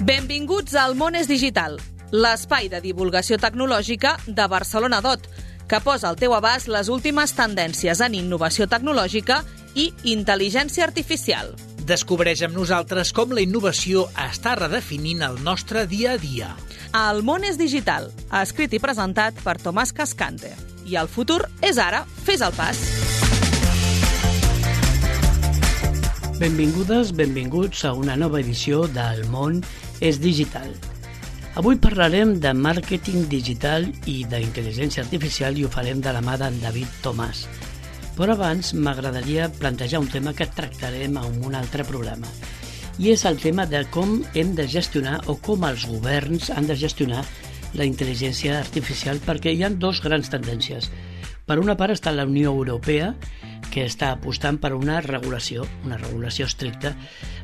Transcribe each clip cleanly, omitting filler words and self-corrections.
Benvinguts al Món és Digital, l'espai de divulgació tecnològica de Barcelona DOT, que posa al teu abast les últimes tendències en innovació tecnològica i intel·ligència artificial. Descobreix amb nosaltres com la innovació està redefinint el nostre dia a dia. El Món és Digital, escrit i presentat per Tomàs Cascante. I el futur és ara, fes el pas. Benvingudes, benvinguts a una nova edició del Món és Digital. Avui parlarem de màrqueting digital i d'intel·ligència artificial i ho farem de la mà d'en David Tomàs. Però abans m'agradaria plantejar un tema que tractarem en un altre programa. I és el tema de com hem de gestionar o com els governs han de gestionar la intel·ligència artificial, perquè hi ha dues grans tendències. Per una part està la Unió Europea, que està apostant per una regulació estricta.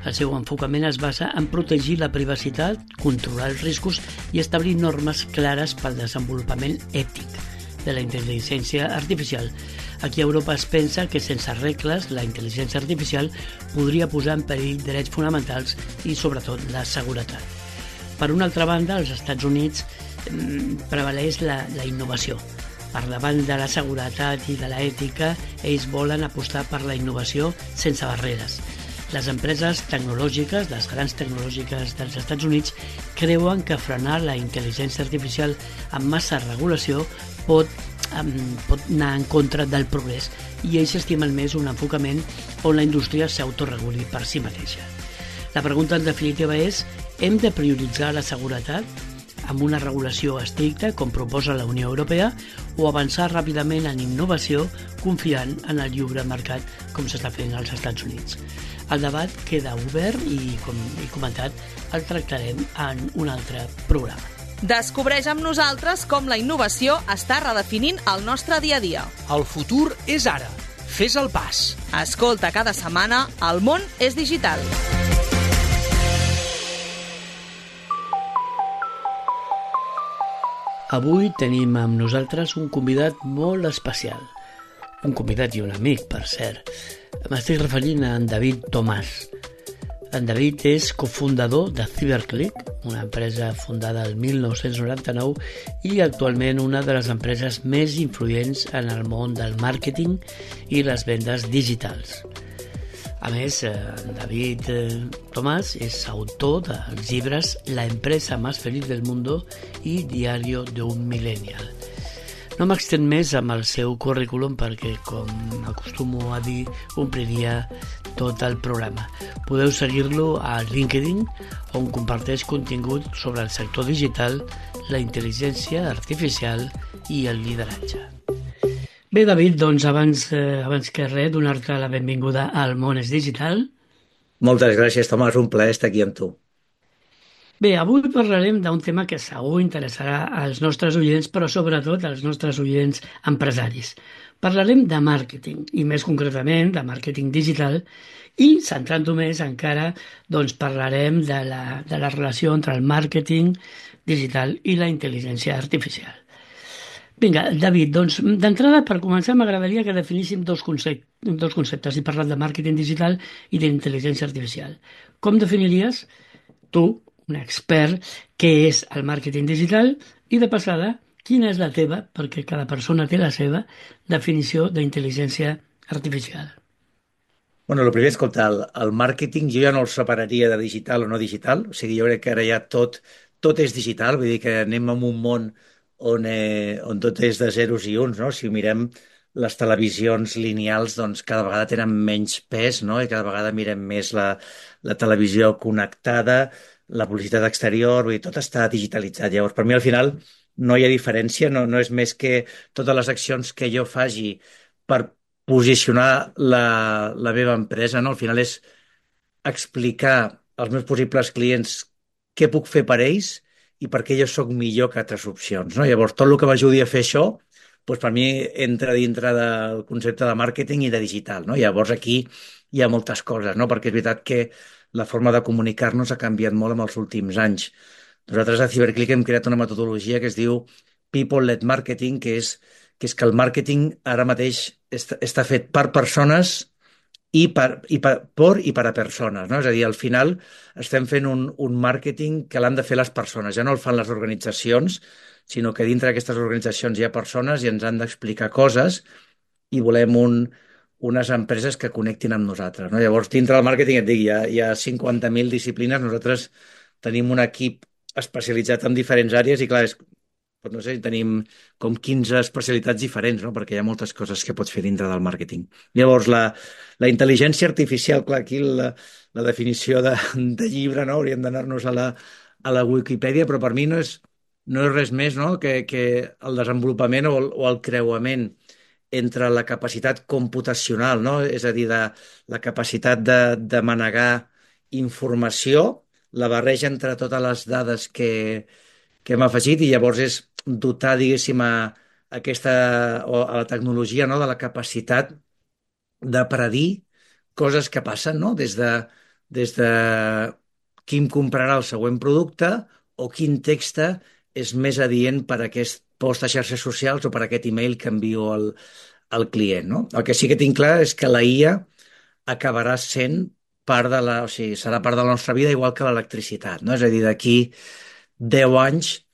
El seu enfocament es basa en protegir la privacitat, controlar els riscos i establir normes clares pel desenvolupament ètic de la intel·ligència artificial. Aquí a Europa es pensa que sense regles la intel·ligència artificial podria posar en perill drets fonamentals i sobretot la seguretat. Per una altra banda, als Estats Units prevaleix la innovació. Per davant de la seguretat i de l'ètica, ells volen apostar per la innovació sense barreres. Les empreses tecnològiques, les grans tecnològiques dels Estats Units, creuen que frenar la intel·ligència artificial amb massa regulació pot anar en contra del progrés i ells estimen més un enfocament on la indústria s'autoreguli per si mateixa. La pregunta en definitiva és: hem de prioritzar la seguretat amb una regulació estricta, com proposa la Unió Europea, o avançar ràpidament en innovació confiant en el lliure mercat, com s'està fent als Estats Units? El debat queda obert i, com he comentat, el tractarem en un altre programa. Descobreix amb nosaltres com la innovació està redefinint el nostre dia a dia. El futur és ara. Fes el pas. Escolta cada setmana El Món és Digital. Avui tenim amb nosaltres un convidat molt especial. Un convidat i un amic, per cert. M'estic referint a en David Tomàs. En David és cofundador de CyberClick, una empresa fundada el 1999 i actualment una de les empreses més influents en el món del màrqueting i les vendes digitals. A més, David Tomàs és autor dels llibres La empresa más feliz del mundo i Diario de un millennial. No m'extén més amb el seu currículum perquè, com acostumo a dir, ompliria tot el programa. Podeu seguir-lo a LinkedIn, on comparteix contingut sobre el sector digital, la intel·ligència artificial i el lideratge. Bé, David, doncs abans que res, donar-te la benvinguda al Món és Digital. Moltes gràcies, Tomàs, un plaer estar aquí amb tu. Bé, avui parlarem d'un tema que segur interessarà als nostres oients, però sobretot als nostres oients empresaris. Parlarem de màrqueting, i més concretament de màrqueting digital, i centrant-ho més encara, doncs parlarem de la relació entre el màrqueting digital i la intel·ligència artificial. Vinga, David, doncs d'entrada, per començar, m'agradaria que definíssim dos conceptes. He parlat de màrqueting digital i d'intel·ligència artificial. Com definiries tu, un expert, què és el màrqueting digital i, de passada, quina és la teva, perquè cada persona té la seva, definició d'intel·ligència artificial? Bueno, el primer, escolta, el màrqueting jo ja no el separaria de digital o no digital, o sigui, jo crec que ara ja tot és digital, vull dir que anem en un món on tot és de zeros i uns, no? Si mirem les televisions lineals, doncs cada vegada tenen menys pes, no? I cada vegada mirem més la televisió connectada, la publicitat exterior, vull dir, tot està digitalitzat. Llavors, per mi al final no hi ha diferència, no és més que totes les accions que jo faci per posicionar la meva empresa, no? Al final és explicar als meus possibles clients què puc fer per ells i per què jo sóc millor que altres opcions, no? Llavors, tot el que m'ajudi a fer això, doncs per mi entra dintre del concepte de màrqueting i de digital, no? Llavors, aquí hi ha moltes coses, no? Perquè és veritat que la forma de comunicar-nos ha canviat molt en els últims anys. Nosaltres a CyberClick hem creat una metodologia que es diu People-led Marketing, que és que el màrqueting ara mateix està fet per persones i per a persones, no? És a dir, al final estem fent un màrqueting que l'han de fer les persones, ja no el fan les organitzacions, sinó que dintre d'aquestes organitzacions hi ha persones i ens han d'explicar coses i volem unes empreses que connectin amb nosaltres, no? Llavors, dintre del màrqueting, et dic, hi ha 50.000 disciplines, nosaltres tenim un equip especialitzat en diferents àrees i, clar, doncs no sé, tenim com 15 especialitats diferents, no? Perquè hi ha moltes coses que pots fer dintre del màrqueting. Llavors, la intel·ligència artificial, clar, aquí la definició de llibre, no? Hauríem d'anar-nos a la Wikipedia, però per mi no és res més, no? que el desenvolupament o el creuament entre la capacitat computacional, no? És a dir, la capacitat de manegar informació, la barreja entre totes les dades que hem afegit i llavors és dotar, diguéssim, a la tecnologia, no? De la capacitat de predir coses que passen, no? Des de qui em comprarà el següent producte o quin text és més adient per a aquest post a xarxes socials o per a aquest email que envio al client, no? El que sí que tinc clar és que la IA acabarà sent o sigui, serà part de la nostra vida igual que l'electricitat, no? És a dir, d'aquí 10 anys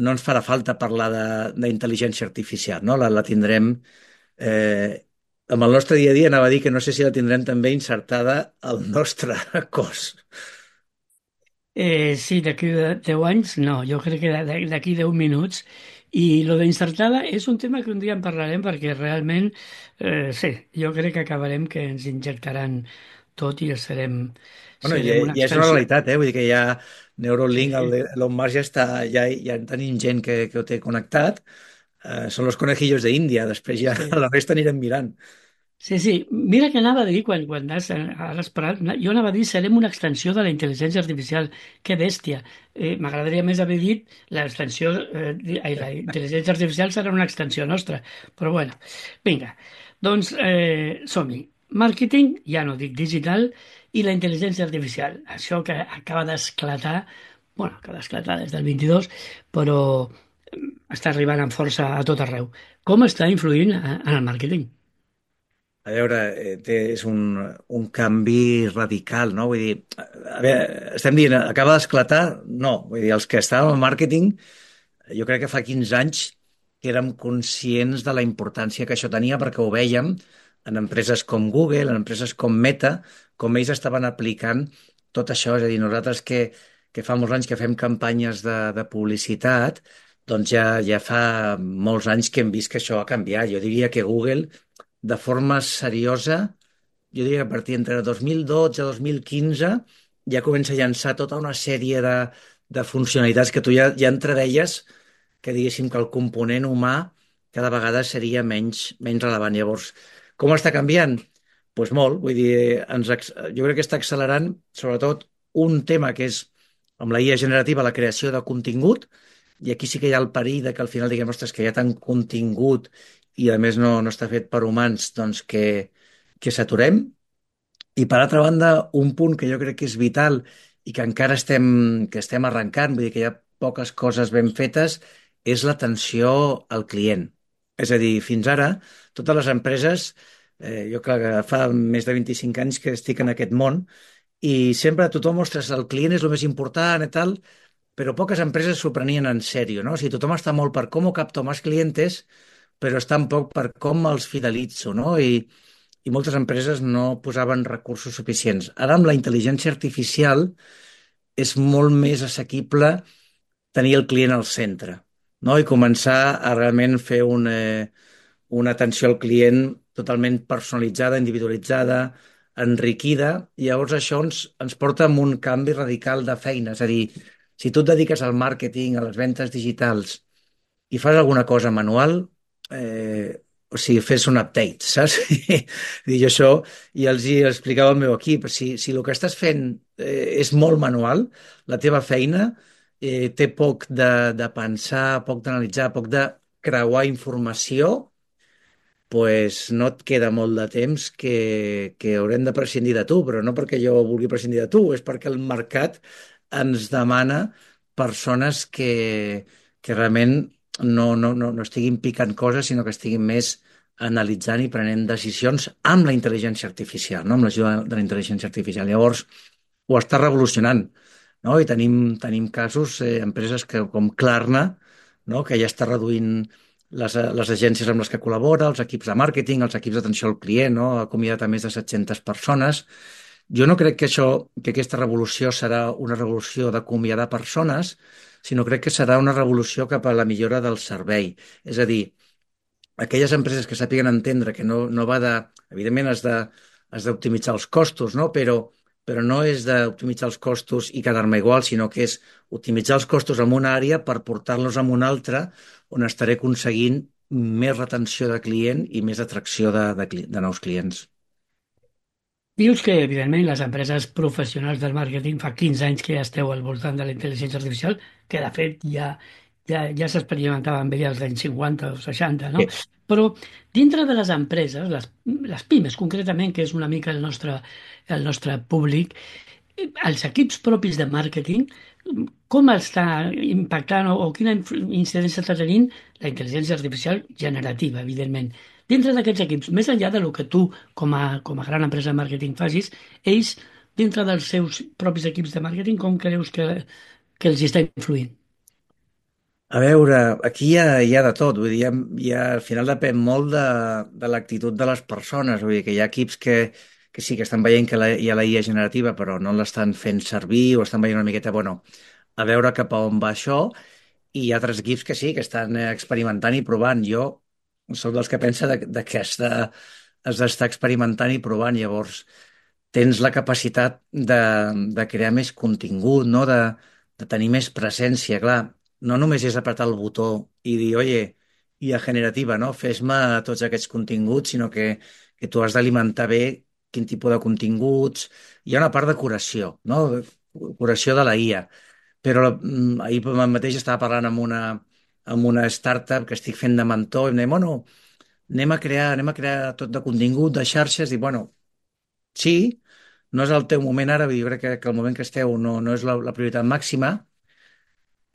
no ens farà falta parlar d'intel·ligència artificial, no? La tindrem amb el nostre dia a dia, anava a dir que no sé si la tindrem també insertada al nostre cos. Sí, d'aquí 10 anys, no, jo crec que d'aquí 10 minuts. I lo d'insertada és un tema que un dia en parlarem perquè realment, sí, jo crec que acabarem que ens injectaran tot i Bueno, serem una ja és una extensió. realitat, eh? Vull dir que ja Sí, Neuralink, sí, Elon Musk ja tenim gent que ho té connectat. Són los conejillos de Índia, després ja sí. la resta anirem mirant. Sí, sí. Mira que anava a dir, quan has parat, jo anava a dir serem una extensió de la intel·ligència artificial. Que bèstia. M'agradaria més haver dit l'extensió, la intel·ligència artificial serà una extensió nostra. Però bueno, vinga. Doncs som-hi. Màrqueting, ja no dic digital, i la intel·ligència artificial. Això que acaba d'esclatar, bueno, acaba d'esclatar des del 22, però està arribant amb força a tot arreu. Com està influint en el màrqueting? A veure, és un canvi radical, no? Vull dir, a veure, estem dient, acaba d'esclatar? No. Vull dir, els que estàvem en màrqueting, jo crec que fa 15 anys que érem conscients de la importància que això tenia perquè ho vèiem en empreses com Google, en empreses com Meta, com ells estaven aplicant tot això. És a dir, nosaltres que fa molts anys que fem campanyes de publicitat, doncs ja fa molts anys que hem vist que això ha canviat. Jo diria que Google de forma seriosa, jo diria que a partir entre 2012 i 2015 ja comença a llançar tota una sèrie de funcionalitats que tu ja entredeies que diguéssim que el component humà cada vegada seria menys rellevant. Llavors, com està canviant? Doncs pues molt, vull dir, jo crec que està accelerant sobretot un tema que és amb la IA generativa la creació de contingut, i aquí sí que hi ha el perill de que al final diguem, ostres, que hi ha tant contingut i a més no està fet per humans, doncs que saturem. I per altra banda, un punt que jo crec que és vital i que encara estem arrencant, vull dir que hi ha poques coses ben fetes, és l'atenció al client. És a dir, fins ara, totes les empreses, jo clar que fa més de 25 anys que estic en aquest món, i sempre tothom, ostres, el client és el més important i tal, però poques empreses s'ho prenien en sèrio, no? O sigui, tothom està molt per com capto més clientes, però està un poc per com els fidelitzo, no? I moltes empreses no posaven recursos suficients. Ara, amb la intel·ligència artificial, és molt més assequible tenir el client al centre, no? I començar a realment fer una atenció al client totalment personalitzada, individualitzada, enriquida, i llavors això ens porta a un canvi radical de feina. És a dir, si tu et dediques al màrqueting, a les ventes digitals, i fas alguna cosa manual, o sigui, fes un update, saps? I jo això, i els hi explicava al meu equip, si el que estàs fent és molt manual, la teva feina té poc de pensar, poc d'analitzar, poc de creuar informació, pues no et queda molt de temps que haurem de prescindir de tu, però no perquè jo vulgui prescindir de tu, és perquè el mercat ens demana persones que realment no estiguin picant coses, sinó que estiguin més analitzant i prenent decisions amb la intel·ligència artificial, no? Amb l'ajuda de la intel·ligència artificial. Llavors, ho està revolucionant, no? I tenim casos, empreses com Klarna, no? Que ja està reduint les agències amb les que col·labora, els equips de màrqueting, els equips d'atenció al client, no? Ha acomiadat a més de 700 persones. Jo no crec que aquesta revolució serà una revolució d'acomiadar persones, sinó crec que serà una revolució cap a la millora del servei. És a dir, aquelles empreses que sàpiguen entendre que no va de... Evidentment has d'optimitzar els costos, no? Però no és d'optimitzar els costos i quedar-me igual, sinó que és optimitzar els costos en una àrea per portar-los en una altra on estaré aconseguint més retenció de client i més atracció de nous clients. Dius que, evidentment, les empreses professionals del màrqueting fa 15 anys que ja esteu al voltant de la intel·ligència artificial, que de fet ja s'experimentava amb ella als anys 50 o 60, no? Sí. Però dintre de les empreses, les pimes concretament, que és una mica el nostre públic, els equips propis de màrqueting, com està impactant o quina incidència està tenint la intel·ligència artificial generativa, evidentment. Dintre d'aquests equips, més enllà del que tu, com a gran empresa de màrqueting, facis, ells, dintre dels seus propis equips de màrqueting, com creus que els està influint? A veure, aquí hi ha de tot, vull dir, al final depèn molt de l'actitud de les persones, vull dir que hi ha equips que sí que estan veient que hi ha la IA generativa però no l'estan fent servir o estan veient una miqueta, bueno, a veure cap a on va això, i hi ha altres equips que sí, que estan experimentant i provant. Jo sóc dels que pensa de que has d'estar experimentant i provant, llavors tens la capacitat de crear més contingut, no? De tenir més presència, clar. No només és apretar el botó i dir, oye, IA generativa, no? Fes-me tots aquests continguts, sinó que tu has d'alimentar bé quin tipus de continguts. Hi ha una part de curació, no? Curació de la IA. Però ahir mateix estava parlant amb una startup que estic fent de mentor i em deia, bueno, anem a crear tot de contingut, de xarxes, i bueno, sí, no és el teu moment ara, jo crec que el moment que esteu no és la prioritat màxima,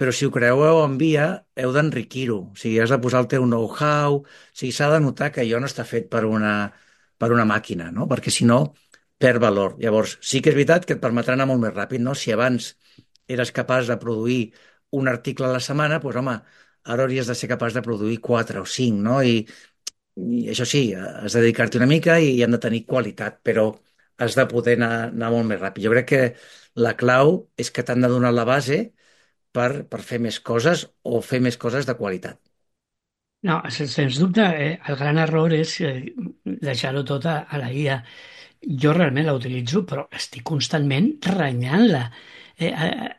però si ho creeu en via, heu d'enriquir-ho. O sigui, has de posar el teu know-how, o sigui, s'ha de notar que allò no està fet per una màquina, no? Perquè si no, perd valor. Llavors, sí que és veritat que et permetrà anar molt més ràpid, no? Si abans eres capaç de produir un article a la setmana, doncs home, ara hauries de ser capaç de produir 4 o 5, no? I això sí, has de dedicar-t'hi una mica i han de tenir qualitat, però has de poder anar molt més ràpid. Jo crec que la clau és que t'han de donar la base per fer més coses o fer més coses de qualitat. No, sens dubte, el gran error és deixar-ho tot a la IA. Jo realment la utilitzo, però estic constantment renyant-la,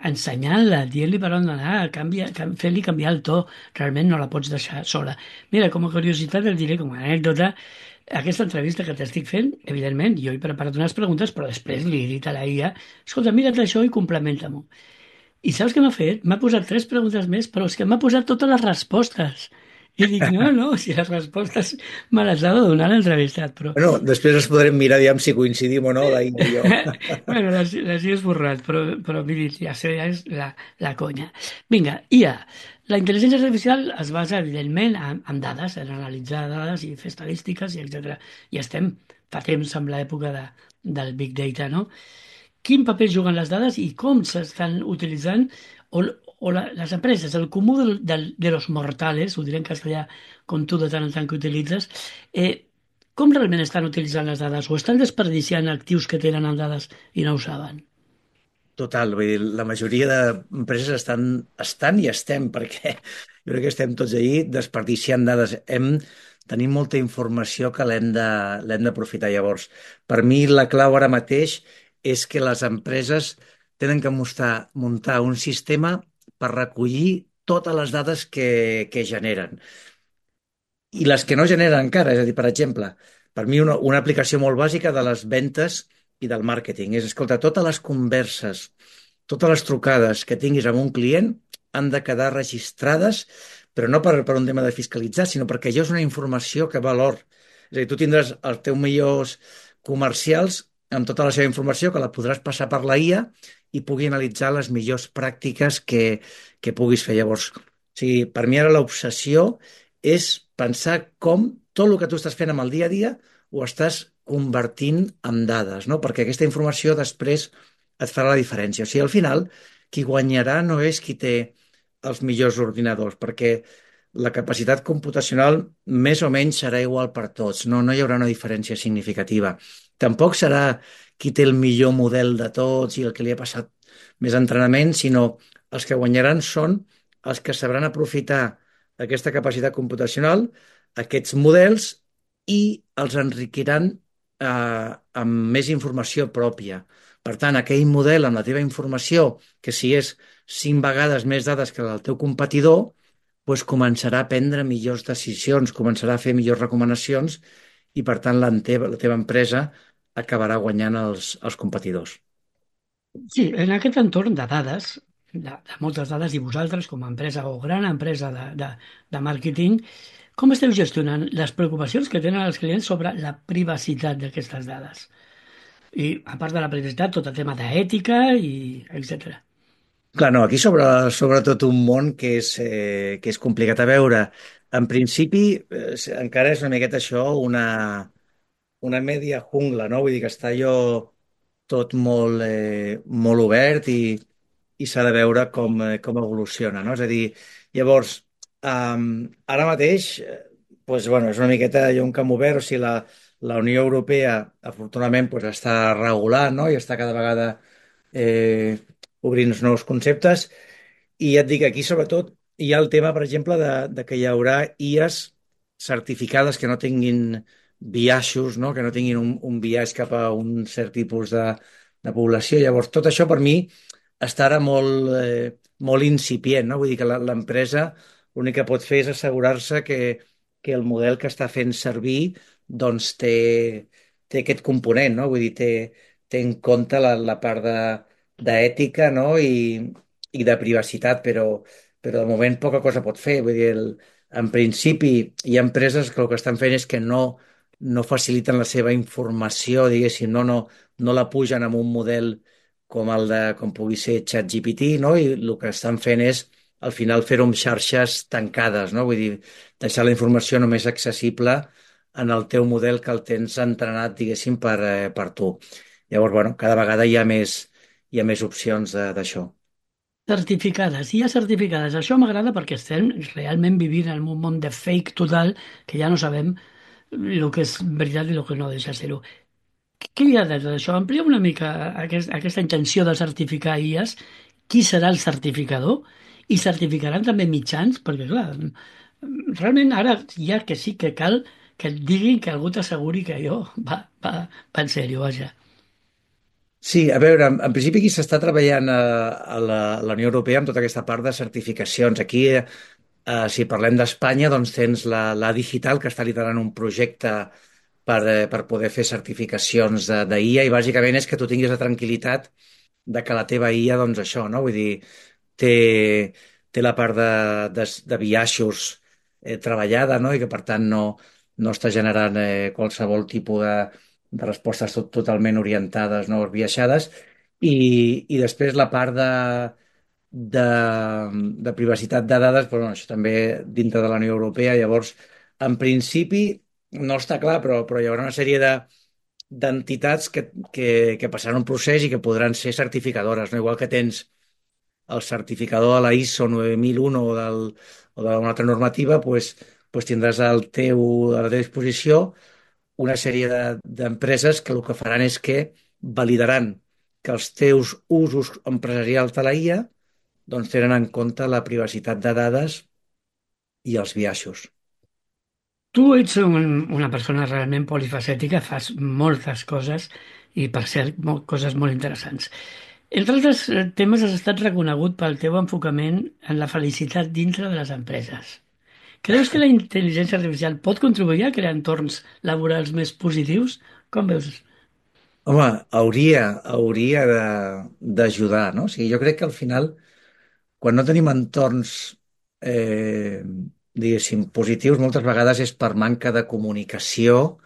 ensenyant-la, dient-li per on anar, fent-li canviar el to. Realment no la pots deixar sola. Mira, com a curiositat et diré, com a anècdota, aquesta entrevista que t'estic fent, evidentment, jo he preparat unes preguntes, però després li he dit a la IA, escolta, mira't això i complementa-m'ho. I saps què m'ha fet? M'ha posat 3 preguntes més, però és que m'ha posat totes les respostes. I dic, no, si les respostes me les ha de donar l'entrevistat, però... Bueno, després ens podrem mirar, diguem, si coincidim o no, la Índia i jo. Bueno, les he esborrat, però miri, ja sé, ja és la conya. Vinga, IA. La intel·ligència artificial es basa, evidentment, en dades, en analitzar dades i fer estadístiques, i etc. I estem fa temps amb l'època del Big Data, no? Quin paper juguen les dades i com s'estan utilitzant les empreses, el comú de los mortales, ho diré en castellà com tu de tant en tant que utilitzes, com realment estan utilitzant les dades o estan desperdiciant actius que tenen en dades i no ho saben? Total, vull dir, la majoria d'empreses estan i estem, perquè jo crec que estem tots ahí desperdiciant dades. Tenim molta informació que l'hem d'aprofitar. Llavors, per mi la clau ara mateix és que les empreses tenen que muntar un sistema per recollir totes les dades que generen. I les que no generen encara, és a dir, per exemple, per mi una aplicació molt bàsica de les ventes i del màrqueting és, escolta, totes les converses, totes les trucades que tinguis amb un client han de quedar registrades, però no per un tema de fiscalitzar, sinó perquè allò és una informació que val or. És a dir, tu tindràs els teus millors comercials amb tota la seva informació que la podràs passar per la IA i pugui analitzar les millors pràctiques que puguis fer. Llavors, o sigui, per mi ara l'obsessió és pensar com tot el que tu estàs fent amb el dia a dia ho estàs convertint en dades, no? Perquè aquesta informació després et farà la diferència. O sigui, al final, qui guanyarà no és qui té els millors ordinadors, perquè la capacitat computacional més o menys serà igual per tots, no hi haurà una diferència significativa. Tampoc serà qui té el millor model de tots i el que li ha passat més entrenament, sinó els que guanyaran són els que sabran aprofitar aquesta capacitat computacional, aquests models, i els enriquiran amb més informació pròpia. Per tant, aquell model amb la teva informació, que si és 5 vegades més dades que el del teu competidor, doncs començarà a prendre millors decisions, començarà a fer millors recomanacions i, per tant, la teva empresa acabarà guanyant els competidors. Sí, en aquest entorn de dades, de moltes dades, i vosaltres com a empresa o gran empresa de màrqueting, com esteu gestionant les preocupacions que tenen els clients sobre la privacitat d'aquestes dades? I a part de la privacitat, tot el tema d'ètica i etc. Clar, no, aquí sobre tot un món que és complicat a veure. En principi, encara és una miqueta això, una media jungla, no? Vull dir que està allò tot molt obert i s'ha de veure com evoluciona, no? És a dir, llavors, ara mateix, doncs, bueno, és una miqueta allò un camp obert, o sigui, la Unió Europea, afortunadament, doncs, està regulant, no? I està cada vegada eh, obrint nous conceptes. I ja et dic, aquí sobretot hi ha el tema, per exemple, de que hi haurà IAs certificades que no tinguin biaixos, no? Que no tinguin un biaix cap a un cert tipus de població. Llavors, tot això per mi està ara molt incipient, no? Vull dir que l'empresa l'únic que pot fer és assegurar-se que el model que està fent servir doncs té aquest component, no? Vull dir, té en compte la part d'ètica, no? I de privacitat, però de moment poca cosa pot fer. Vull dir, en principi hi ha empreses que el que estan fent és que no faciliten la seva informació, diguéssim, no la pugen amb un model com pugui ser ChatGPT, no? I el que estan fent és al final fer-ho amb xarxes tancades, no? Vull dir, deixar la informació només accessible en el teu model que el tens entrenat, diguéssim, per tu. Llavors, bueno, cada vegada hi ha més opcions d'això. Certificades, IA certificades. Això m'agrada perquè estem realment vivint en un món de fake total que ja no sabem el que és veritat i el que no deixa ser-ho. Què hi ha darrere d'això? Amplia una mica aquesta intenció de certificar IAs. Qui serà el certificador? I certificaran també mitjans? Perquè, clar, realment ara ja que sí que cal que et diguin que algú t'asseguri que allò va en sèrio, vaja. Sí, a veure, en principi aquí s'està treballant a la Unió Europea amb tota aquesta part de certificacions. Aquí, si parlem d'Espanya, doncs tens la Digital, que està liderant un projecte per poder fer certificacions d'IA, i bàsicament és que tu tinguis la tranquil·litat de que la teva IA, doncs això, no? Vull dir, té la part de biaixos treballada, no? I que per tant no està generant qualsevol tipus de respostes totalment orientades, no esbiaixades, i després la part de, de privacitat de dades, però bueno, això també dintre de la Unió Europea. Llavors, en principi no està clar, però hi haurà una sèrie d'entitats que passaran un procés i que podran ser certificadores, no? Igual que tens el certificador de la ISO 9001 o d'una altra normativa, doncs tindràs a la teva disposició una sèrie d'empreses que el que faran és que validaran que els teus usos empresarials de la IA doncs tenen en compte la privacitat de dades i els biaixos. Tu ets una persona realment polifacètica, fas moltes coses i, per cert, coses molt interessants. Entre altres temes, has estat reconegut pel teu enfocament en la felicitat dintre de les empreses. Creus que la intel·ligència artificial pot contribuir a crear entorns laborals més positius? Com veus? Home, hauria d'ajudar, no? O sigui, jo crec que al final, quan no tenim entorns, diguéssim, positius, moltes vegades és per manca de comunicació,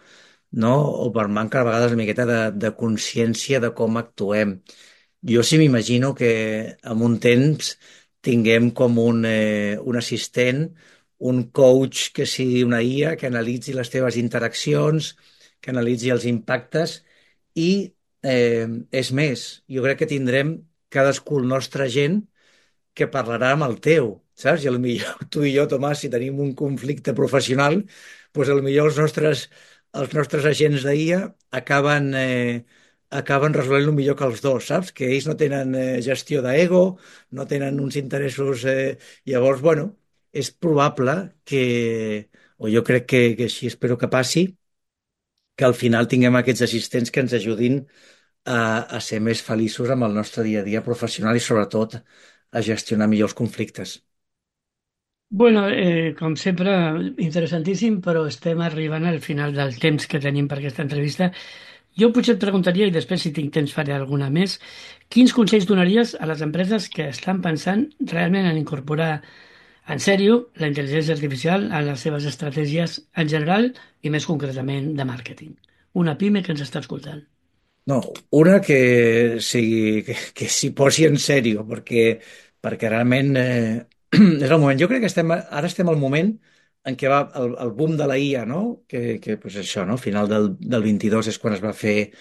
no? O per manca, a vegades, una miqueta de consciència de com actuem. Jo sí m'imagino que en un temps tinguem com un assistent un coach que sigui una IA, que analitzi les teves interaccions, que analitzi els impactes i és més, jo crec que tindrem cadascú el nostre agent que parlarà amb el teu, saps? I potser tu i jo, Tomàs, si tenim un conflicte professional, doncs potser els nostres agents d'IA acaben resolent-lo millor que els dos, saps? Que ells no tenen gestió d'ego, no tenen uns interessos... Llavors, bueno, és probable o jo crec que així espero que passi, que al final tinguem aquests assistents que ens ajudin a ser més feliços amb el nostre dia a dia professional i sobretot a gestionar millor els conflictes. Bueno, com sempre, interessantíssim, però estem arribant al final del temps que tenim per aquesta entrevista. Jo potser et preguntaria, i després si tinc temps faré alguna més, quins consells donaries a les empreses que estan pensant realment en incorporar en sèrio la intel·ligència artificial a les seves estratègies en general i més concretament de màrqueting? Una pime que ens està escoltant. No, una que que s'hi posi en sèrio, perquè realment és el moment. Jo crec que ara estem al moment en què va el boom de la IA, no? Que pues això, no? Final del 22 és quan es va fer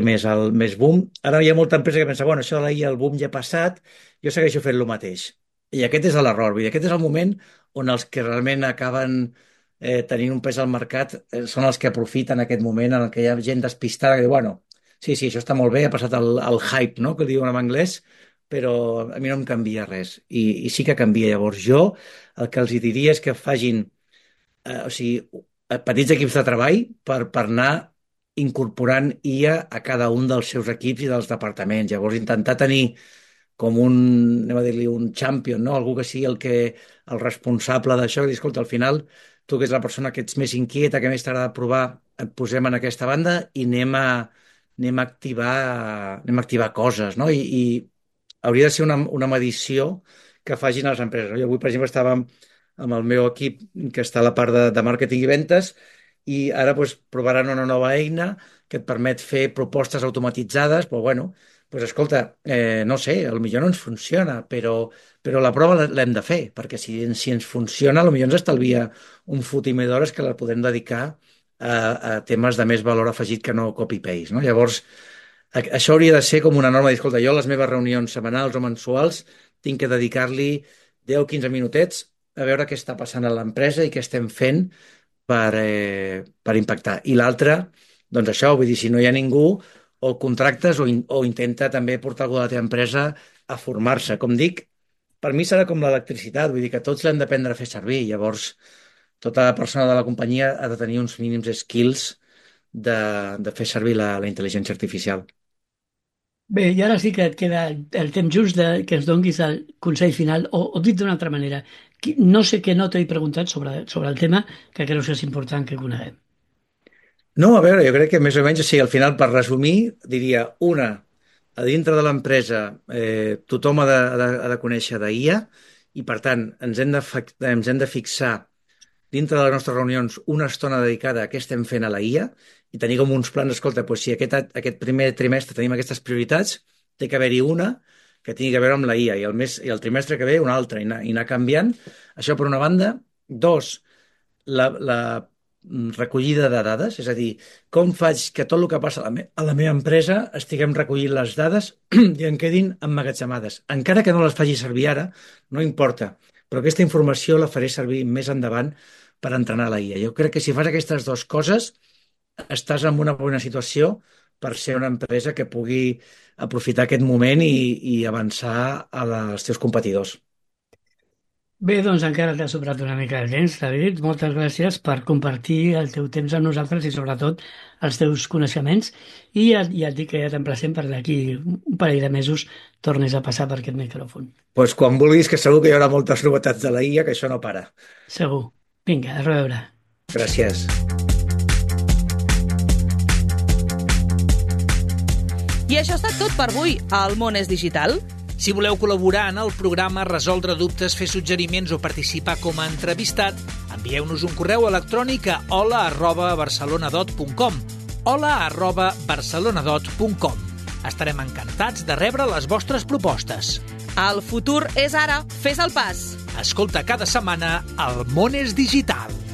més boom. Ara hi ha molta empresa que pensa, bueno, això de la IA, el boom ja ha passat, jo segueixo fent el mateix. I aquest és l'error, vull dir, aquest és el moment on els que realment acaben tenint un pes al mercat són els que aprofiten aquest moment en què hi ha gent despistada que diu, bueno, sí, això està molt bé, ha passat el hype, no?, que diuen en anglès, però a mi no em canvia res. I sí que canvia. Llavors jo el que els diria és que facin petits equips de treball per anar incorporant IA a cada un dels seus equips i dels departaments. Llavors intentar tenir com anem a dir-li, un champion, no? Algú que sigui el responsable d'això, i dir, escolta, al final, tu que ets la persona que ets més inquieta, que més t'agrada provar, et posem en aquesta banda i anem a activar coses, no? I hauria de ser una medició que facin les empreses, no? Jo avui, per exemple, estava amb el meu equip que està a la part de màrqueting i ventes i ara doncs, provaran una nova eina que et permet fer propostes automatitzades, però bueno, doncs escolta, no sé, potser no ens funciona, però la prova l'hem de fer, perquè si ens funciona, potser ens estalvia un fotimer d'hores que la podem dedicar a temes de més valor afegit que no copy-paste, no? Llavors, això hauria de ser com una norma. Escolta, jo a les meves reunions setmanals o mensuals tinc que dedicar-li 10 o 15 minutets a veure què està passant a l'empresa i què estem fent per impactar. I l'altre, doncs això, vull dir, si no hi ha ningú, o el contractes o intenta també portar algú de la teva empresa a formar-se. Com dic, per mi serà com l'electricitat, vull dir que tots l'hem d'aprendre a fer servir. Llavors, tota persona de la companyia ha de tenir uns mínims skills de fer servir la intel·ligència artificial. Bé, i ara sí que et queda el temps just que ens donguis el consell final, o dit d'una altra manera, no sé què no t'he preguntat sobre el tema que creus que és important que coneguem. No, a veure, jo crec que més o menys, al final, per resumir, diria, a dintre de l'empresa tothom ha de conèixer d'IA i, per tant, ens hem de fixar dintre de les nostres reunions una estona dedicada a què estem fent a la IA i tenir com uns plans, escolta, doncs si aquest primer trimestre tenim aquestes prioritats, té que haver-hi una que tingui a veure amb la IA i el trimestre que ve una altra i anar canviant. Això per una banda. Dos, la recollida de dades, és a dir, com faig que tot el que passa a la meva empresa estiguem recollint les dades i en quedin emmagatzemades. Encara que no les faci servir ara, no importa, però aquesta informació la faré servir més endavant per entrenar la IA. Jo crec que si fas aquestes dues coses estàs en una bona situació per ser una empresa que pugui aprofitar aquest moment i avançar als teus competidors. Bé, doncs encara t'ha sobrat una mica de temps, David. Moltes gràcies per compartir el teu temps amb nosaltres i sobretot els teus coneixements. I ja et dic que ja t'emplacem per d'aquí un parell de mesos tornis a passar per aquest micròfon. Doncs quan vulguis, que segur que hi haurà moltes novetats de la IA, que això no para. Segur. Vinga, a reveure. Gràcies. I això ha estat tot per avui. El món és digital. Si voleu col·laborar en el programa, resoldre dubtes, fer suggeriments o participar com a entrevistat, envieu-nos un correu electrònic a hola@barcelonadot.com hola@barcelonadot.com. Estarem encantats de rebre les vostres propostes. El futur és ara. Fes el pas. Escolta cada setmana El món és digital.